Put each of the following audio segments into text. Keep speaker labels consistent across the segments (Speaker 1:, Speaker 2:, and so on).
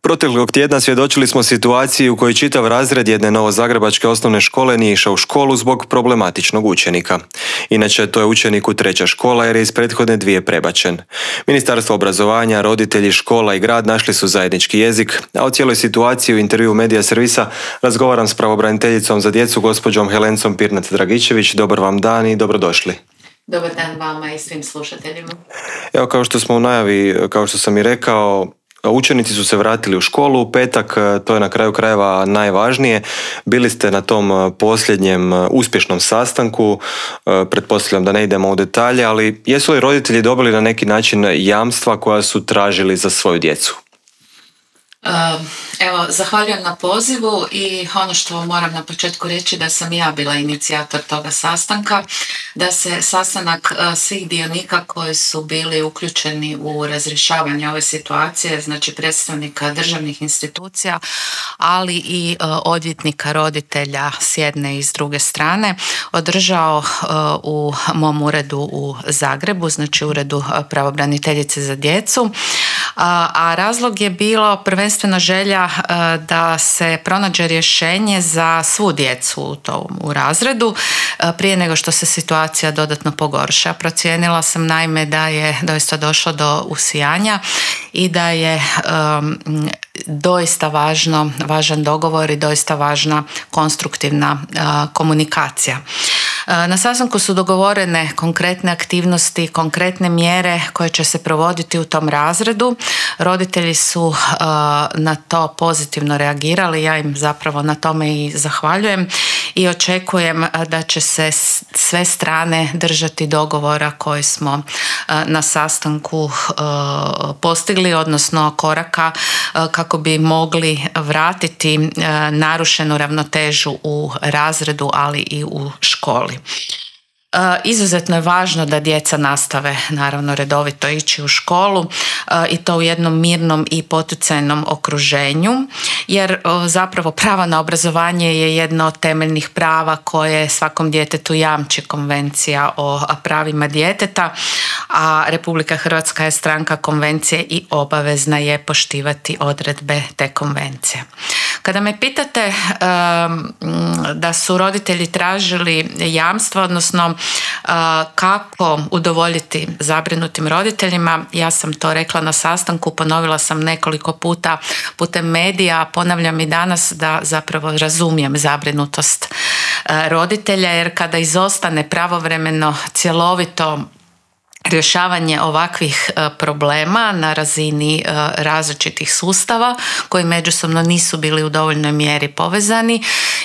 Speaker 1: Proteklog tjedna svjedočili smo situaciji u kojoj čitav razred jedne novozagrebačke osnovne škole nije išao u školu zbog problematičnog učenika. Inače, to je učenik u treća škola jer je iz prethodne dvije prebačen. Ministarstvo obrazovanja, roditelji, škola i grad našli su zajednički jezik, a o cijeloj situaciji u intervjuu Medija servisa razgovaram s pravobraniteljicom za djecu gospođom Helencom Pirnat-Dragičević. Dobar vam dan i dobrodošli.
Speaker 2: Dobar dan vama i svim slušateljima.
Speaker 1: Evo, kao što smo u najavi, kao što sam i rekao, učenici su se vratili u školu u petak, to je na kraju krajeva najvažnije. Bili ste na tom posljednjem uspješnom sastanku, pretpostavljam da ne idemo u detalje, ali jesu li roditelji dobili na neki način jamstva koja su tražili za svoju djecu?
Speaker 2: Evo, zahvaljujem na pozivu i ono što moram na početku reći da sam ja bila inicijator toga sastanka, da se sastanak svih dionika koji su bili uključeni u razrješavanje ove situacije, znači predstavnika državnih institucija, ali i odvjetnika roditelja s jedne i s druge strane, održao u mom uredu u Zagrebu, znači uredu pravobraniteljice za djecu. A razlog je bilo prvenstveno želja da se pronađe rješenje za svu djecu u razredu prije nego što se situacija dodatno pogorša. Procijenila sam naime da je doista došlo do usijanja i da je doista važan dogovor i doista važna konstruktivna komunikacija. Na sastanku su dogovorene konkretne aktivnosti, konkretne mjere koje će se provoditi u tom razredu. Roditelji su na to pozitivno reagirali, ja im zapravo na tome i zahvaljujem i očekujem da će se sve strane držati dogovora koji smo na sastanku postigli, odnosno koraka kako bi mogli vratiti narušenu ravnotežu u razredu, ali i u školi. Izuzetno je važno da djeca nastave naravno redovito ići u školu i to u jednom mirnom i poticajnom okruženju, jer zapravo pravo na obrazovanje je jedno od temeljnih prava koje svakom djetetu jamči Konvencija o pravima djeteta, a Republika Hrvatska je stranka konvencije i obavezna je poštivati odredbe te konvencije. Kada me pitate da su roditelji tražili jamstva, odnosno kako udovoljiti zabrinutim roditeljima, ja sam to rekla na sastanku, ponovila sam nekoliko puta putem medija, ponavljam i danas da zapravo razumijem zabrinutost roditelja, jer kada izostane pravovremeno cjelovito rješavanje ovakvih problema na razini različitih sustava koji međusobno nisu bili u dovoljnoj mjeri povezani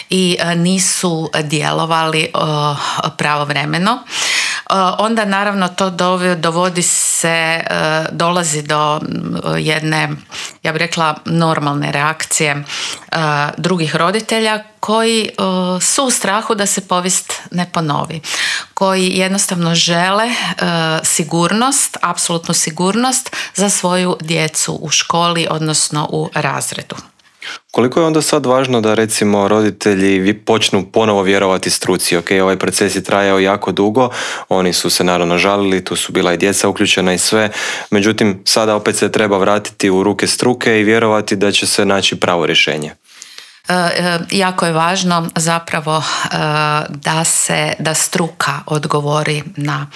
Speaker 2: i nisu djelovali pravovremeno, onda naravno to dolazi do jedne, ja bih rekla, normalne reakcije drugih roditelja koji su u strahu da se povijest ne ponovi, koji jednostavno žele sigurnost, apsolutnu sigurnost za svoju djecu u školi, odnosno u razredu.
Speaker 1: Koliko je onda sad važno da recimo roditelji počnu ponovo vjerovati struci? Ok, ovaj proces je trajao jako dugo, oni su se naravno žalili, tu su bila i djeca uključena i sve, međutim sada opet se treba vratiti u ruke struke i vjerovati da će se naći pravo rješenje.
Speaker 2: Jako je važno zapravo da struka odgovori na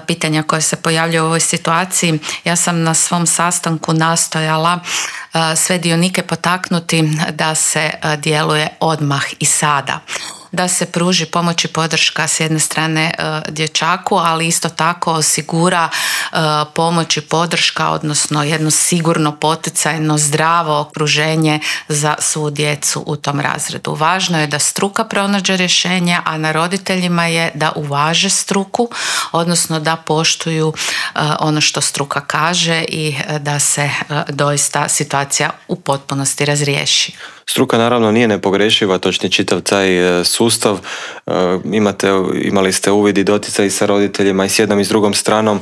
Speaker 2: pitanja koje se pojavljaju u ovoj situaciji. Ja sam na svom sastanku nastojala sve dionike potaknuti da se djeluje odmah i sada. Da se pruži pomoć i podrška s jedne strane dječaku, ali isto tako osigura pomoć i podrška, odnosno jedno sigurno, poticajno, zdravo okruženje za svu djecu u tom razredu. Važno je da struka pronađe rješenja, a na roditeljima je da uvaže struku, odnosno da poštuju ono što struka kaže i da se doista situacija u potpunosti razriješi.
Speaker 1: Struka naravno nije nepogrešiva, točnije čitav taj sustav. Imali ste uvid i doticaj sa roditeljima i s jednom i s drugom stranom.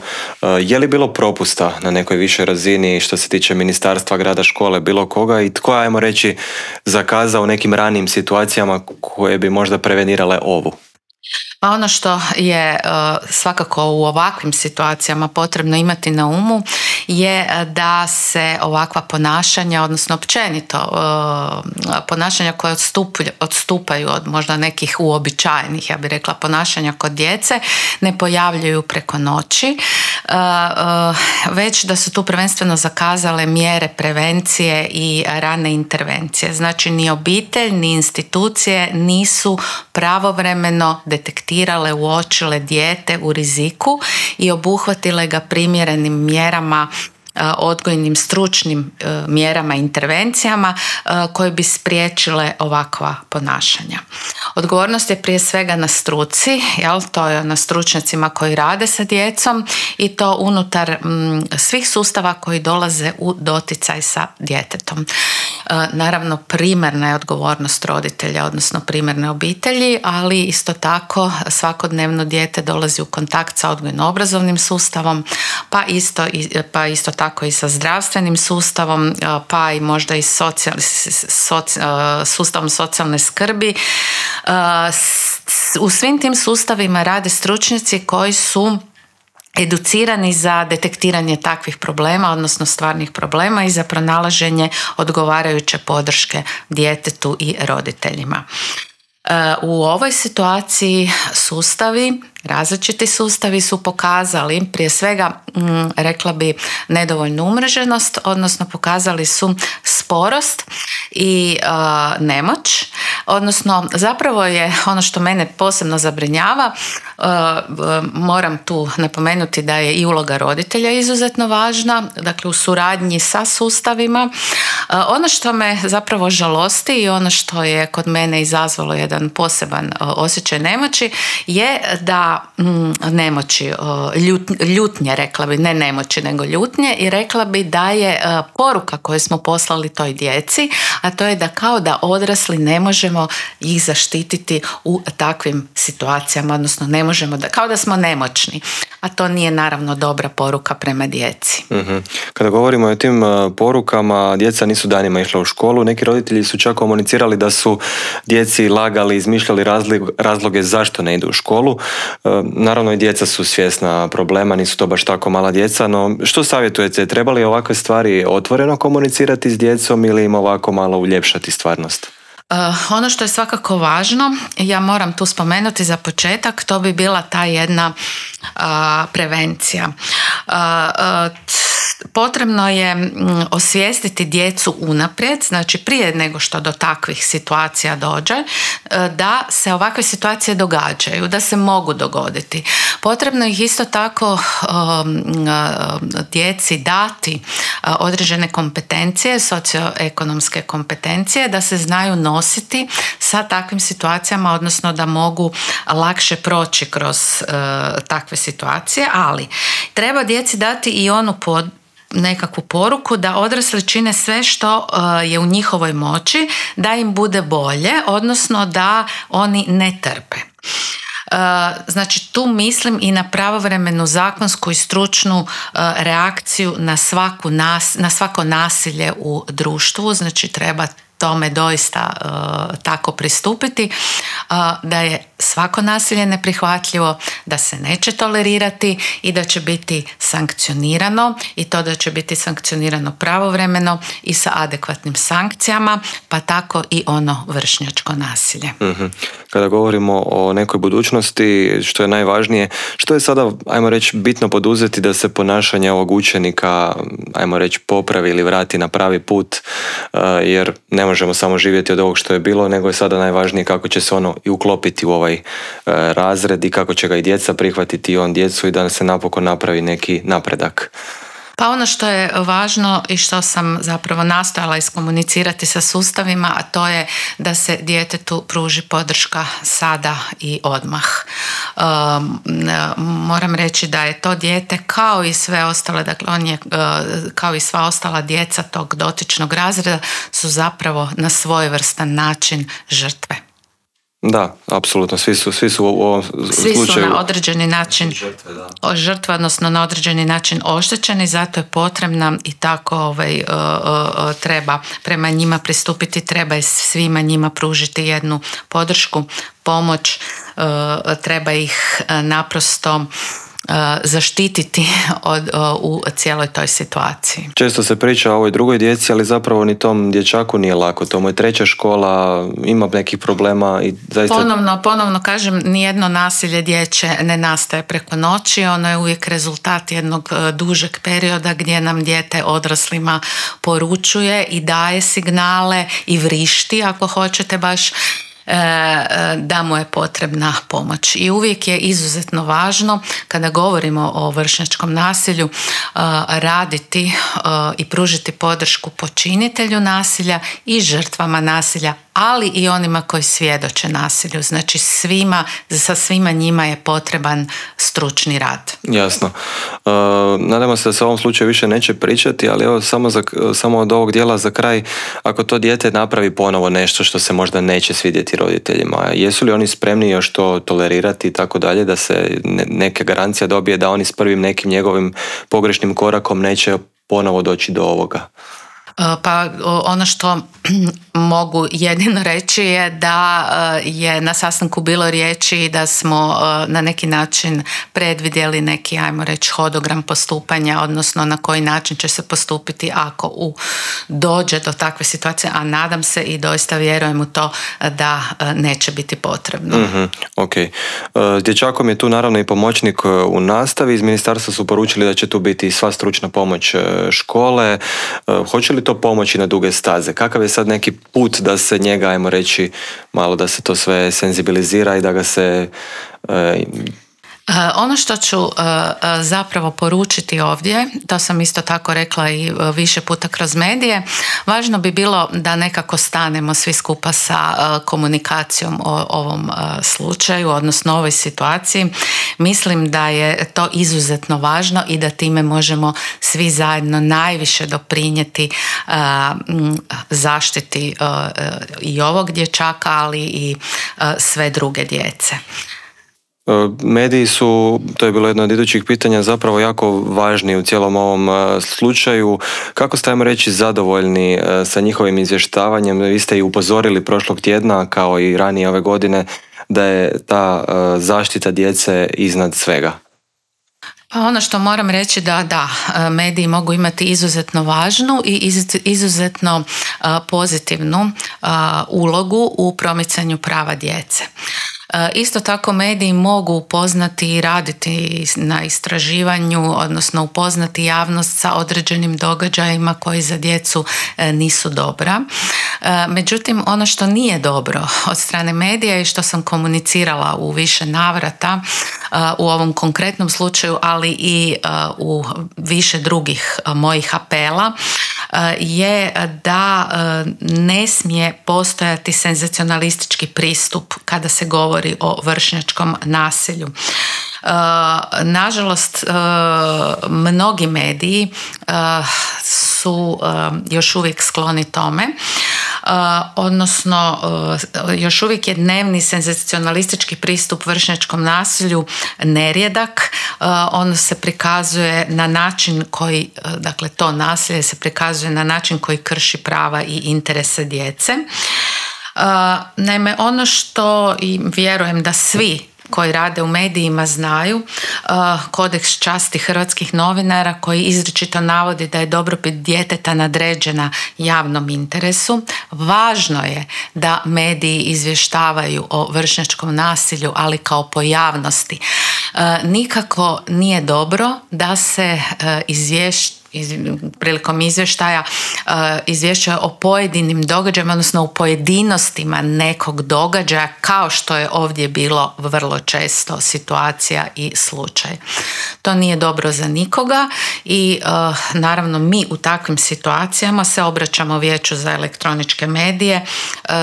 Speaker 1: Je li bilo propusta na nekoj višoj razini što se tiče ministarstva, grada, škole, bilo koga i tko, ajmo reći, zakazao u nekim ranijim situacijama koje bi možda prevenirale ovu?
Speaker 2: Pa ono što je svakako u ovakvim situacijama potrebno imati na umu je da se ovakva ponašanja, odnosno općenito ponašanja koje odstupaju od možda nekih uobičajenih, ja bih rekla, ponašanja kod djece, ne pojavljuju preko noći, već da su tu prvenstveno zakazale mjere prevencije i rane intervencije. Znači ni obitelj, ni institucije nisu pravovremeno detektirale, uočile dijete u riziku i obuhvatile ga primjerenim mjerama, odgojnim stručnim mjerama, intervencijama koje bi spriječile ovakva ponašanja. Odgovornost je prije svega na struci, to je na stručnjacima koji rade sa djecom i to unutar svih sustava koji dolaze u doticaj sa djetetom. Naravno, primarna je odgovornost roditelja, odnosno primarne obitelji, ali isto tako svakodnevno dijete dolazi u kontakt sa odgojno-obrazovnim sustavom, pa isto tako i sa zdravstvenim sustavom, pa i možda i sustavom socijalne skrbi. U svim tim sustavima rade stručnjaci koji su educirani za detektiranje takvih problema, odnosno stvarnih problema i za pronalaženje odgovarajuće podrške djetetu i roditeljima. U ovoj situaciji različiti sustavi su pokazali prije svega, rekla bi, nedovoljnu umreženost, odnosno pokazali su sporost i nemoć, odnosno zapravo je ono što mene posebno zabrinjava, moram tu napomenuti da je i uloga roditelja izuzetno važna, dakle u suradnji sa sustavima. Ono što me zapravo žalosti i ono što je kod mene izazvalo jedan poseban osjećaj nemoći je da ljutnje, rekla bi, ne nemoći nego ljutnje, i rekla bi da je poruka koju smo poslali toj djeci, a to je da kao da odrasli ne možemo ih zaštititi u takvim situacijama, odnosno ne možemo, kao da smo nemoćni, a to nije naravno dobra poruka prema djeci.
Speaker 1: Kada govorimo o tim porukama, djeca nisu danima išla u školu, neki roditelji su čak komunicirali da su djeci lagali, izmišljali razloge zašto ne idu u školu. Naravno i djeca su svjesna problema, nisu to baš tako mala djeca, no što savjetujete, treba li ovakve stvari otvoreno komunicirati s djecom ili im ovako malo uljepšati stvarnost?
Speaker 2: Ono što je svakako važno, ja moram tu spomenuti za početak, to bi bila ta jedna prevencija. Potrebno je osvijestiti djecu unaprijed, znači prije nego što do takvih situacija dođe, da se ovakve situacije događaju, da se mogu dogoditi. Potrebno ih isto tako djeci dati određene kompetencije, socioekonomske kompetencije, da se znaju nositi sa takvim situacijama, odnosno da mogu lakše proći kroz takve situacije, ali treba djeci dati i onu nekakvu poruku da odrasli čine sve što je u njihovoj moći da im bude bolje, odnosno da oni ne trpe. Znači tu mislim i na pravovremenu zakonsku i stručnu reakciju na svako nasilje u društvu, znači treba tome doista tako pristupiti, da je svako nasilje neprihvatljivo, da se neće tolerirati i da će biti sankcionirano, i to da će biti sankcionirano pravovremeno i sa adekvatnim sankcijama, pa tako i ono vršnjačko nasilje.
Speaker 1: Kada govorimo o nekoj budućnosti, što je najvažnije, što je sada, ajmo reći, bitno poduzeti da se ponašanje ovog učenika, ajmo reći, popravi ili vrati na pravi put, jer ne možemo samo živjeti od ovog što je bilo, nego je sada najvažnije kako će se ono i uklopiti u ovaj razred i kako će ga i djeca prihvatiti i on djecu i da se napokon napravi neki napredak.
Speaker 2: Pa ono što je važno i što sam zapravo nastojala iskomunicirati sa sustavima, a to je da se djetetu pruži podrška sada i odmah. Moram reći da je to dijete kao i sve ostale, dakle on je kao i sva ostala djeca tog dotičnog razreda su zapravo na svojevrstan način žrtve.
Speaker 1: Da, apsolutno, svi su u ovom slučaju...
Speaker 2: Svi su na određeni način žrtve, odnosno na određeni način oštećeni, zato je potrebna i tako treba prema njima pristupiti, treba svima njima pružiti jednu podršku, pomoć, treba ih naprosto zaštititi u cijeloj toj situaciji.
Speaker 1: Često se priča o ovoj drugoj djeci, ali zapravo ni tom dječaku nije lako. To mu je treća škola, ima nekih problema i zaista...
Speaker 2: Ponovno kažem, nijedno nasilje dječje ne nastaje preko noći, ono je uvijek rezultat jednog dužeg perioda gdje nam dijete odraslima poručuje i daje signale i vrišti, ako hoćete baš, da mu je potrebna pomoć. I uvijek je izuzetno važno kada govorimo o vršnjačkom nasilju raditi i pružiti podršku počinitelju nasilja i žrtvama nasilja, ali i onima koji svjedoče nasilju. Znači sa svima njima je potreban stručni rad.
Speaker 1: Jasno. Nadamo se da se o ovom slučaju više neće pričati, ali evo samo od ovog dijela za kraj, ako to dijete napravi ponovo nešto što se možda neće svidjeti roditeljima, jesu li oni spremni još to tolerirati i tako dalje, da se neka garancija dobije da oni s prvim nekim njegovim pogrešnim korakom neće ponovo doći do ovoga?
Speaker 2: Pa ono što mogu jedino reći je da je na sastanku bilo riječi da smo na neki način predvidjeli neki, ajmo reći, hodogram postupanja, odnosno na koji način će se postupiti ako dođe do takve situacije, a nadam se i doista vjerujem u to da neće biti potrebno.
Speaker 1: Ok. S dječakom je tu naravno i pomoćnik u nastavi. Iz ministarstva su poručili da će tu biti sva stručna pomoć škole. Hoće li to pomoći na duge staze? Kakav je sad neki put da se njega, ajmo reći, malo da se to sve senzibilizira i da ga se...
Speaker 2: Ono što ću zapravo poručiti ovdje, to sam isto tako rekla i više puta kroz medije, važno bi bilo da nekako stanemo svi skupa sa komunikacijom o ovom slučaju, odnosno ovoj situaciji. Mislim da je to izuzetno važno i da time možemo svi zajedno najviše doprinijeti zaštiti i ovog dječaka, ali i sve druge djece.
Speaker 1: Mediji su, to je bilo jedno od idućih pitanja, zapravo jako važni u cijelom ovom slučaju. Kako ste, ajmo reći, zadovoljni sa njihovim izvještavanjem? Vi ste i upozorili prošlog tjedna, kao i ranije ove godine, da je ta zaštita djece iznad svega.
Speaker 2: Pa ono što moram reći da mediji mogu imati izuzetno važnu i izuzetno pozitivnu ulogu u promicanju prava djece. Isto tako mediji mogu upoznati i raditi na istraživanju, odnosno upoznati javnost sa određenim događajima koji za djecu nisu dobra. Međutim, ono što nije dobro od strane medija i što sam komunicirala u više navrata u ovom konkretnom slučaju, ali i u više drugih mojih apela, je da ne smije postojati senzacionalistički pristup kada se govori o vršnjačkom nasilju. Nažalost, mnogi mediji su još uvijek skloni tome, odnosno još uvijek je dnevni senzacionalistički pristup vršnjačkom nasilju nerijedak. Ono se prikazuje na način koji, dakle to nasilje se prikazuje na način koji krši prava i interese djece. Naime, ono što i vjerujem da svi koji rade u medijima znaju, kodeks časti hrvatskih novinara koji izričito navodi da je dobrobit djeteta nadređena javnom interesu. Važno je da mediji izvještavaju o vršnjačkom nasilju, ali kao pojavnosti. Nikako nije dobro da se prilikom izvještaja izvješćuje o pojedinim događajima, odnosno u pojedinostima nekog događaja, kao što je ovdje bilo vrlo često situacija i slučaj. To nije dobro za nikoga i naravno mi u takvim situacijama se obraćamo Vijeću za elektroničke medije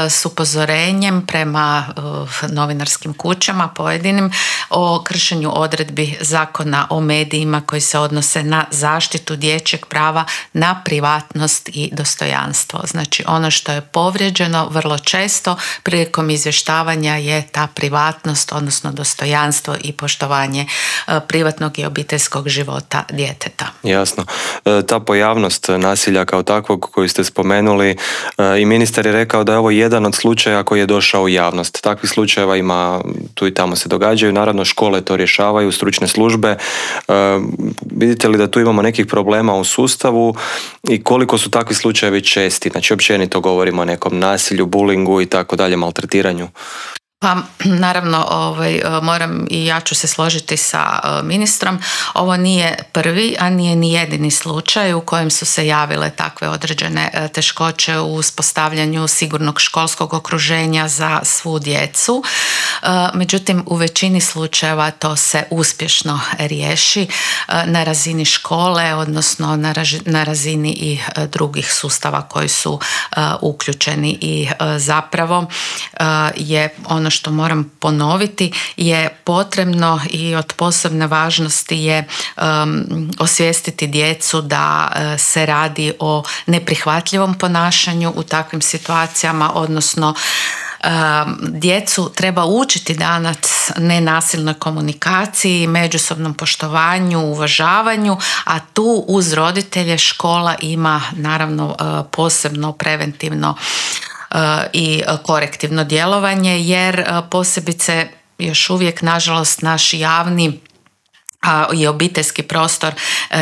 Speaker 2: s upozorenjem prema novinarskim kućama pojedinim o kršenju odredbi Zakona o medijima koji se odnose na zaštitu djece dječjeg prava na privatnost i dostojanstvo. Znači ono što je povrijeđeno vrlo često prilikom izvještavanja je ta privatnost, odnosno dostojanstvo i poštovanje privatnog i obiteljskog života djeteta.
Speaker 1: Jasno. Ta pojavnost nasilja kao takvog koju ste spomenuli, i ministar je rekao da je ovo jedan od slučaja koji je došao u javnost. Takvih slučajeva ima, tu i tamo se događaju, naravno škole to rješavaju, stručne službe. Vidite li da tu imamo nekih problema u sustavu i koliko su takvi slučajevi česti? Znači općenito govorimo o nekom nasilju, bulingu i tako dalje, maltretiranju.
Speaker 2: Pa naravno moram i ja ću se složiti sa ministrom. Ovo nije prvi, a nije ni jedini slučaj u kojem su se javile takve određene teškoće u uspostavljanju sigurnog školskog okruženja za svu djecu. Međutim, u većini slučajeva to se uspješno riješi na razini škole, odnosno na razini i drugih sustava koji su uključeni i zapravo je ono što moram ponoviti je potrebno i od posebne važnosti je osvijestiti djecu da se radi o neprihvatljivom ponašanju u takvim situacijama, odnosno djecu treba učiti danas nenasilnoj komunikaciji, međusobnom poštovanju, uvažavanju, a tu uz roditelje škola ima naravno posebno preventivno i korektivno djelovanje, jer posebice još uvijek nažalost naš javni i obiteljski prostor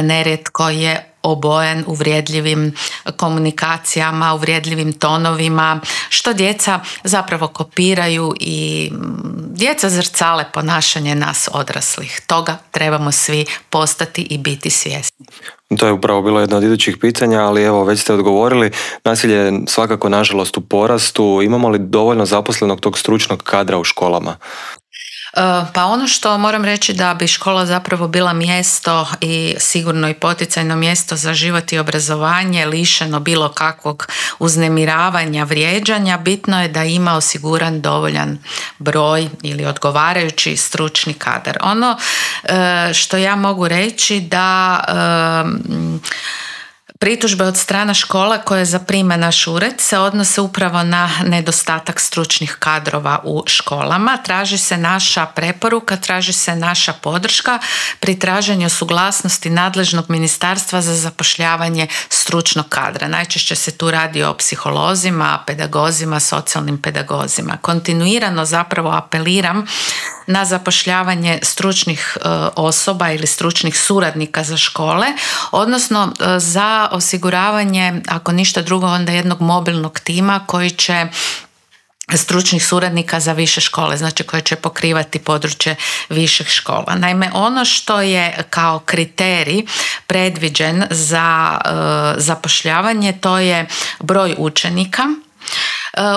Speaker 2: nerijetko je obojen uvrijedljivim komunikacijama, uvrijedljivim tonovima, što djeca zapravo kopiraju i djeca zrcale ponašanje nas odraslih. Toga trebamo svi postati i biti svjesni.
Speaker 1: To je upravo bilo jedno od idućih pitanja, ali evo već ste odgovorili. Nasilje je svakako nažalost u porastu. Imamo li dovoljno zaposlenog tog stručnog kadra u školama?
Speaker 2: Pa ono što moram reći da bi škola zapravo bila mjesto i sigurno i poticajno mjesto za život i obrazovanje, lišeno bilo kakvog uznemiravanja, vrijeđanja, bitno je da ima osiguran dovoljan broj ili odgovarajući stručni kadar. Ono što ja mogu reći da pritužbe od strana škola koje zaprima naš ured se odnose upravo na nedostatak stručnih kadrova u školama. Traži se naša preporuka, traži se naša podrška pri traženju suglasnosti nadležnog ministarstva za zapošljavanje stručnog kadra. Najčešće se tu radi o psiholozima, pedagozima, socijalnim pedagozima. Kontinuirano zapravo apeliram na zapošljavanje stručnih osoba ili stručnih suradnika za škole, odnosno za osiguravanje, ako ništa drugo, onda jednog mobilnog tima koji će stručnih suradnika za više škole, znači koje će pokrivati područje viših škola. Naime, ono što je kao kriterij predviđen za zapošljavanje, to je broj učenika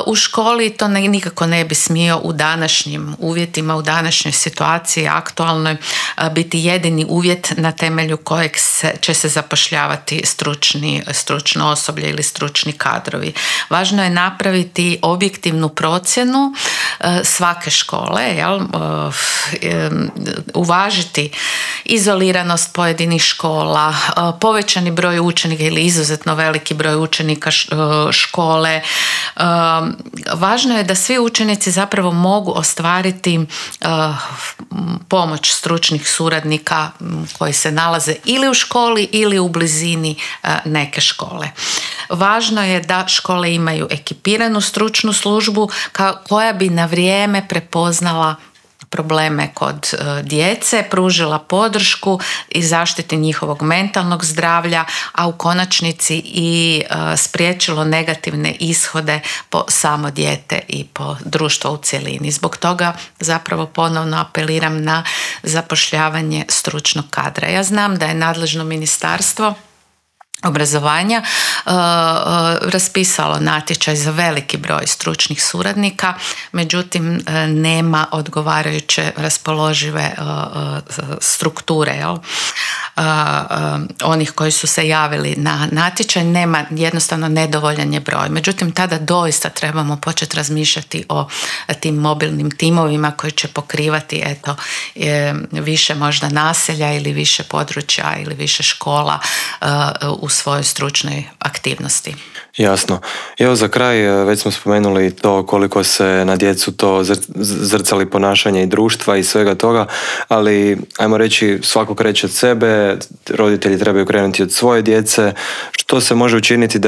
Speaker 2: u školi. To nikako ne bi smio u današnjim uvjetima, u današnjoj situaciji aktualnoj biti jedini uvjet na temelju kojeg će se zapošljavati stručno osoblje ili stručni kadrovi. Važno je napraviti objektivnu procjenu svake škole, uvažiti izoliranost pojedinih škola, povećani broj učenika ili izuzetno veliki broj učenika škole. Važno je da svi učenici zapravo mogu ostvariti pomoć stručnih suradnika koji se nalaze ili u školi ili u blizini neke škole. Važno je da škole imaju ekipiranu stručnu službu koja bi na vrijeme prepoznala probleme kod djece, pružila podršku i zaštiti njihovog mentalnog zdravlja, a u konačnici i spriječilo negativne ishode po samo dijete i po društvo u cjelini. Zbog toga zapravo ponovno apeliram na zapošljavanje stručnog kadra. Ja znam da je nadležno ministarstvo obrazovanja raspisalo natječaj za veliki broj stručnih suradnika, međutim nema odgovarajuće raspoložive strukture. onih koji su se javili na natječaj, nema, jednostavno nedovoljan je broj. Međutim, tada doista trebamo početi razmišljati o tim mobilnim timovima koji će pokrivati više možda naselja ili više područja ili više škola u svojoj stručnoj aktivnosti.
Speaker 1: Jasno. Evo za kraj, već smo spomenuli to koliko se na djecu to zrcali ponašanje i društva i svega toga, ali ajmo reći svako kreće od sebe, roditelji trebaju krenuti od svoje djece. Što se može učiniti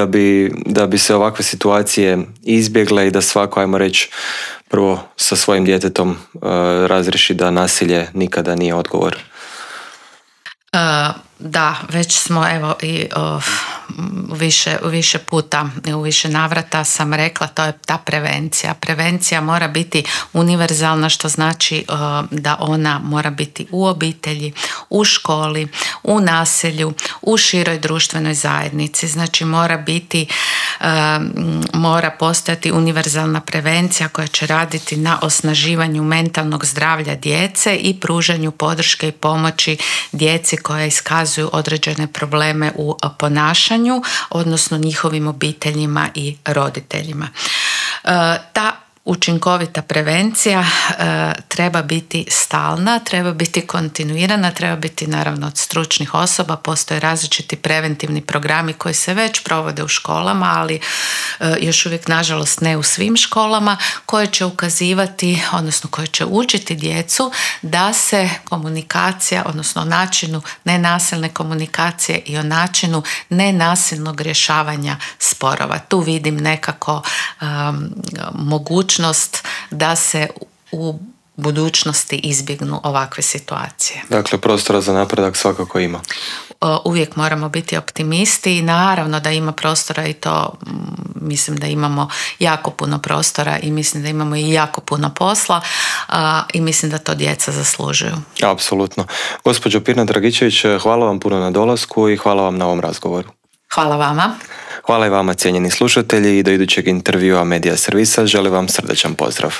Speaker 1: da bi se ovakve situacije izbjegle i da svako, ajmo reći, prvo sa svojim djetetom razriješi da nasilje nikada nije odgovor?
Speaker 2: Da, već smo evo i više puta, u više navrata sam rekla, to je ta prevencija. Prevencija mora biti univerzalna, što znači da ona mora biti u obitelji, u školi, u naselju, u široj društvenoj zajednici. Znači mora postojati univerzalna prevencija koja će raditi na osnaživanju mentalnog zdravlja djece i pružanju podrške i pomoći djeci koja iskazuju određene probleme u ponašanju, odnosno njihovim obiteljima i roditeljima. Ta učinkovita prevencija treba biti stalna, treba biti kontinuirana, treba biti naravno od stručnih osoba. Postoje različiti preventivni programi koji se već provode u školama, ali još uvijek nažalost ne u svim školama, koje će ukazivati, odnosno koje će učiti djecu da se komunikacija, odnosno o načinu nenasilne komunikacije i o načinu nenasilnog rješavanja sporova. Tu vidim nekako mogućnost da se u budućnosti izbjegnu ovakve situacije.
Speaker 1: Dakle, prostora za napredak svakako ima.
Speaker 2: Uvijek moramo biti optimisti i naravno da ima prostora i to mislim da imamo jako puno prostora i mislim da imamo i jako puno posla i mislim da to djeca zaslužuju.
Speaker 1: Apsolutno. Gospođo Pirnat-Dragičević, hvala vam puno na dolasku i hvala vam na ovom razgovoru.
Speaker 2: Hvala vama.
Speaker 1: Hvala i vama, cijenjeni slušatelji, i do idućeg intervjua Medija servisa želim vam srdačan pozdrav.